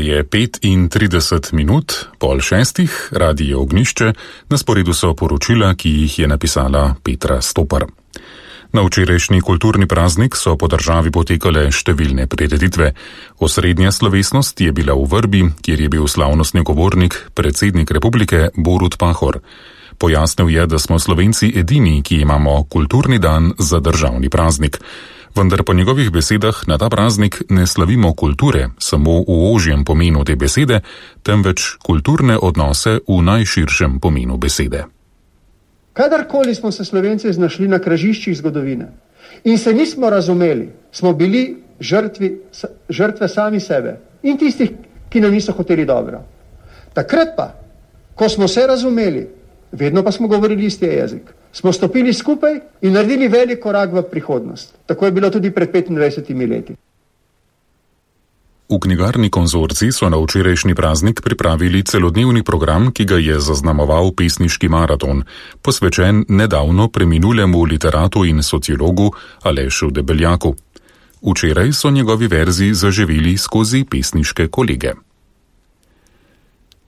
Je 35 minut, 5:30, Radio Ognjišče, na sporedu so poročila, ki jih je napisala Petra Stopar. Na včerajšnji kulturni praznik so po državi potekale številne prireditve. Osrednja slovesnost je bila v Vrbi, kjer je bil slavnostni govornik, predsednik republike Borut Pahor. Pojasnil je, da smo Slovenci edini, ki imamo kulturni dan za državni praznik. Vendar po njegovih besedah na ta praznik ne slavimo kulture samo v ožjem pomenu te besede, temveč kulturne odnose v najširšem pomenu besede. Kadarkoli smo se Slovenci znašli na križiščih zgodovine in se nismo razumeli, smo bili žrtve sami sebe in tistih, ki nam niso hoteli dobro. Takrat pa, ko smo se razumeli, vedno pa smo govorili isti jezik, smo stopili skupaj in naredili velik korak v prihodnost. Tako je bilo tudi pred 25 leti. V knjigarni Konzorcij so na včerajšnji praznik pripravili celodnevni program, ki ga je zaznamoval pesniški maraton, posvečen nedavno preminulemu literatu in sociologu Alešu Debeljaku. Včeraj so njegovi verzi zaživeli skozi pesniške kolege.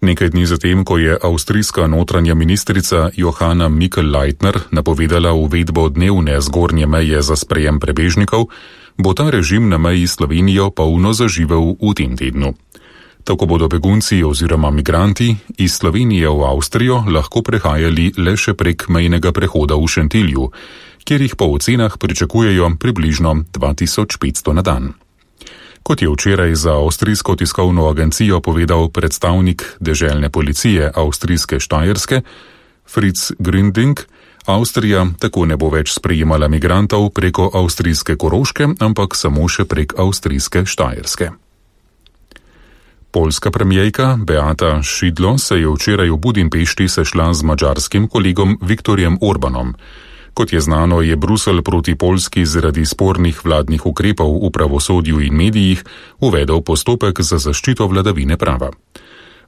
Nekaj dni zatem, ko je avstrijska notranja ministrica Johanna Mikl-Leitner napovedala uvedbo dnevne zgornje meje za sprejem prebežnikov, bo ta režim na meji s Slovenijo polno zaživel v tem tednu. Tako bodo begunci oziroma migranti iz Slovenije v Avstrijo lahko prehajali le še prek mejnega prehoda v Šentilju, kjer jih po ocenah pričakujejo približno 2500 na dan. Kot je včeraj za avstrijsko tiskovno agencijo povedal predstavnik deželne policije avstrijske Štajerske, Fritz Gründing, Avstrija tako ne bo več sprejemala migrantov preko avstrijske Koroške, ampak samo še prek avstrijske Štajerske. Poljska premijerka Beata Szydło se je včeraj v Budimpešti sešla z madžarskim kolegom Viktorjem Orbanom. Kot je znano, je Bruselj proti Poljski zaradi spornih vladnih ukrepov v pravosodju in medijih uvedel postopek za zaščito vladavine prava.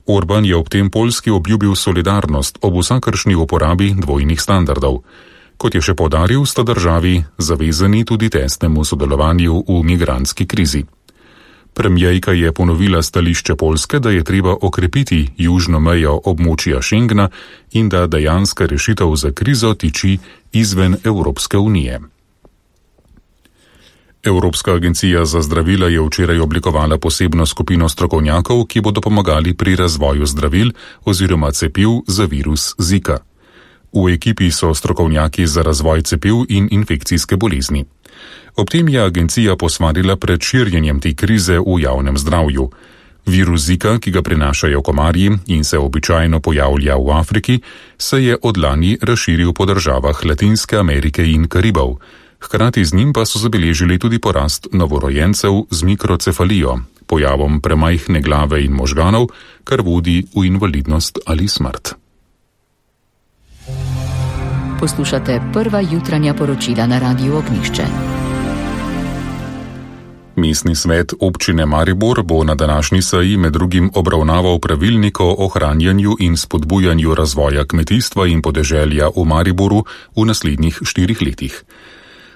Orban je ob tem Poljski obljubil solidarnost ob vsakršni uporabi dvojnih standardov. Kot je še poudaril, sta državi zavezani tudi tesnemu sodelovanju v migrantski krizi. Premijerka je ponovila stališče Poljske, da je treba okrepiti južno mejo območja Schengena in da dejanska rešitev za krizo tiči izven Evropske unije. Evropska agencija za zdravila je včeraj oblikovala posebno skupino strokovnjakov, ki bodo pomagali pri razvoju zdravil oziroma cepiv za virus Zika. V ekipi so strokovnjaki za razvoj cepiv in infekcijske bolezni. Ob tem je agencija posvarila pred širjenjem te krize v javnem zdravju. Virus Zika, ki ga prinašajo komarji in se običajno pojavlja v Afriki, se je od lani razširil po državah Latinske Amerike in Karibov. Hkrati z njim pa so zabeležili tudi porast novorojencev z mikrocefalijo, pojavom premajhne glave in možganov, kar vodi v invalidnost ali smrt. Poslušate prva jutranja poročila na Radiu Ognjišče. Mestni svet občine Maribor bo na današnji seji med drugim obravnaval pravilnik o ohranjanju in spodbujanju razvoja kmetijstva in podeželja v Mariboru v naslednjih 4 letih.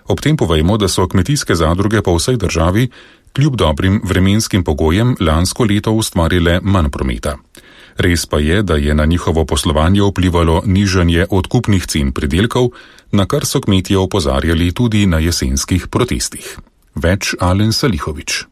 Ob tem povejmo, da so kmetijske zadruge po vsej državi kljub dobrim vremenskim pogojem lansko leto ustvarile manj prometa. Res pa je, da je na njihovo poslovanje vplivalo nižanje odkupnih cen pridelkov, na kar so kmetje opozarjali tudi na jesenskih protestih. Več Alen Salihovič.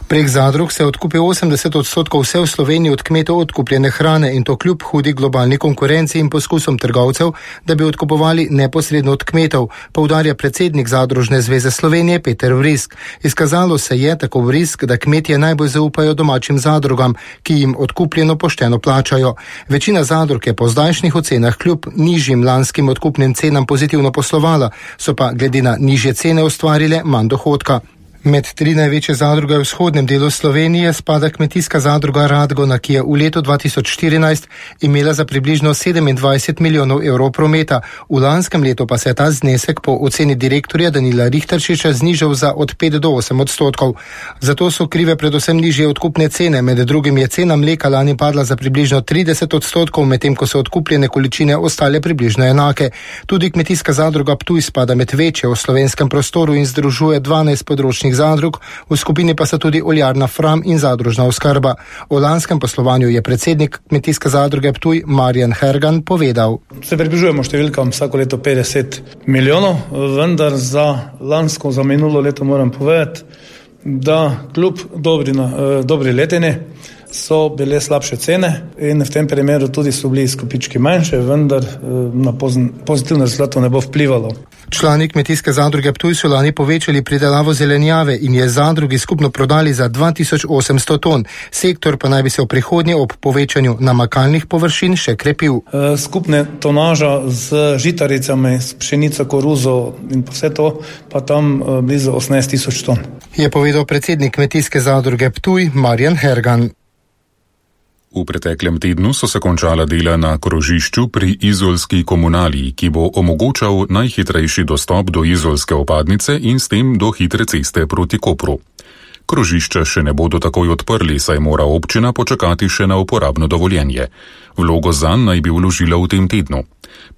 Prek zadrug se odkupi 80% vse v Sloveniji od kmetov odkupljene hrane in to kljub hudi globalni konkurenci in poskusom trgovcev, da bi odkupovali neposredno od kmetov, poudarja predsednik Zadružne zveze Slovenije Peter Vrisk. Izkazalo se je, tako Vrisk, da kmetje najbolj zaupajo domačim zadrugam, ki jim odkupljeno pošteno plačajo. Večina zadrug je po zdajšnjih ocenah kljub nižjim lanskim odkupnim cenam pozitivno poslovala, so pa glede na nižje cene ustvarile manj dohodka. Med 3 največje zadruge v vzhodnem delu Slovenije spada kmetijska zadruga Radgona, ki je v letu 2014 imela za približno 27 milijonov evrov prometa. V lanskem letu pa se je ta znesek po oceni direktorja Danila Richterčiča znižal za od 5 do 8%. Zato so krive predvsem nižje odkupne cene, med drugim je cena mleka lani padla za približno 30%, medtem ko so odkupljene količine ostale približno enake. Tudi kmetijska zadruga Ptuj spada med večje v slovenskem prostoru in združuje 12 področnih mlečnih zadrug, v skupini pa so tudi oljarna Fram in zadružna oskrba. O lanskem poslovanju je predsednik Kmetijske zadruge Ptuj Marjan Hergan povedal. Se približujemo številkam vsako leto 50 milijonov, vendar za lansko, za minulo leto moram povedati, da kljub dobri letini so bile slabše cene in v tem primeru tudi so bili izkupički manjše, vendar na pozitivno rezultato ne bo vplivalo. Člani Kmetijske zadruge Ptuj so lani povečali pridelavo zelenjave in je zadrugi skupno prodali za 2800 ton. Sektor pa naj bi se v prihodnje ob povečanju namakalnih površin še krepil. Skupne tonaža z žitaricami, s pšenico, koruzo in vse to pa tam blizu 18 000 ton. Je povedal predsednik Kmetijske zadruge Ptuj Marjan Hergan. V preteklem tednu so se končala dela na krožišču pri izolski komunali, ki bo omogočal najhitrejši dostop do izolske opadnice in s tem do hitre ceste proti Kopru. Krožišča še ne bodo takoj odprli, saj mora občina počakati še na uporabno dovoljenje. Vlogo zanj naj bi vložila v tem tednu.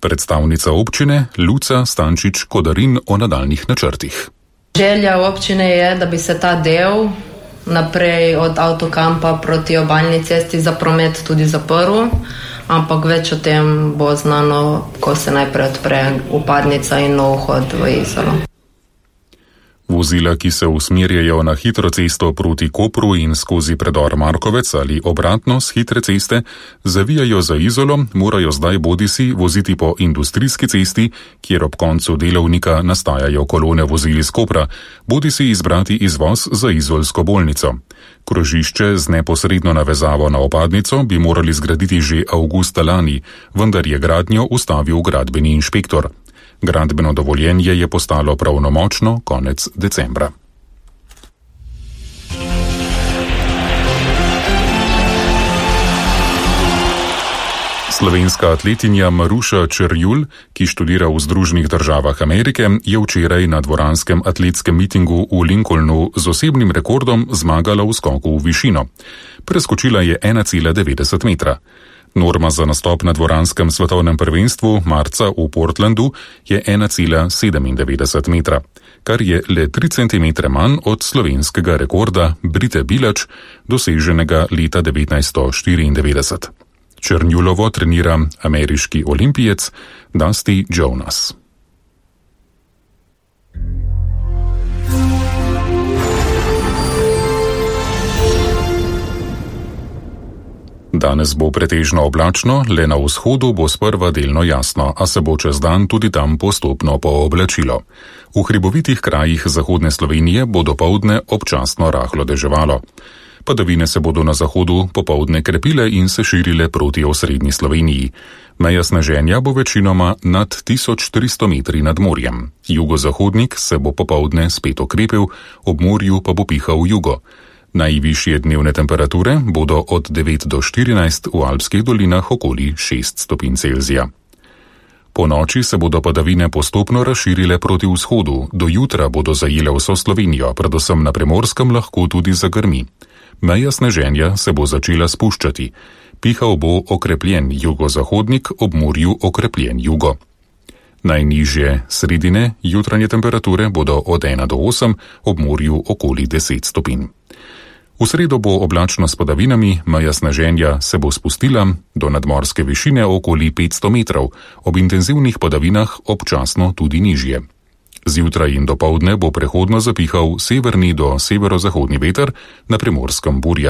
Predstavnica občine Luca Stančič-Kodarin o nadaljnih načrtih. Želja občine je, da bi se ta del naprej od avtokampa proti obalni cesti za promet tudi zaprl, ampak več o tem bo znano, ko se najprej odpre upadnica in nov vhod v Izolo. Vozila, ki se usmerjajo na hitro cesto proti Kopru in skozi predor Markovec ali obratno z hitre ceste, zavijajo za Izolo, morajo zdaj bodisi voziti po industrijski cesti, kjer ob koncu delovnika nastajajo kolone vozil iz Kopra, bodisi izbrati izvoz za izolsko bolnico. Krožišče z neposredno navezavo na opadnico bi morali zgraditi že avgusta lani, vendar je gradnjo ustavil gradbeni inšpektor. Gradbeno dovoljenje je postalo pravnomočno konec decembra. Slovenska atletinja Maruša Čerjul, ki študira v Združenih državah Amerike, je včeraj na dvoranskem atletskem mitingu v Lincolnu z osebnim rekordom zmagala v skoku v višino. Preskočila je 1,90 metra. Norma za nastop na dvoranskem svetovnem prvenstvu marca v Portlandu je 1,97 metra, kar je le 3 cm manj od slovenskega rekorda Brite Bilač, doseženega leta 1994. Černjulovo trenira ameriški olimpijec Dusty Jonas. Danes bo pretežno oblačno, le na vzhodu bo sprva delno jasno, a se bo čez dan tudi tam postopno pooblačilo. V hribovitih krajih zahodne Slovenije bo dopoldne občasno rahlo deževalo. Padavine se bodo na zahodu popoldne krepile in se širile proti osrednji Sloveniji. Meja sneženja bo večinoma nad 1300 metri nad morjem. Jugozahodnik se bo popoldne spet okrepil, ob morju pa bo pihal jugo. Najvišje dnevne temperature bodo od 9 do 14, v alpskih dolinah okoli 6 stopinj Celzija. Po noči se bodo padavine postopno razširile proti vzhodu, do jutra bodo zajele vso Slovenijo, predvsem na Primorskem lahko tudi zagrmi. Meja sneženja se bo začela spuščati. Pihal bo okrepljen jugozahodnik, ob morju okrepljen jugo. Najnižje sredine jutranje temperature bodo od 1 do 8, ob morju okoli 10 stopinj. V sredo bo oblačno s padavinami, meja sneženja se bo spustila do nadmorske višine okoli 500 metrov, ob intenzivnih padavinah občasno tudi nižje. Zjutraj in dopoldne bo prehodno zapihal severni do severozahodni veter, na Primorskem burja.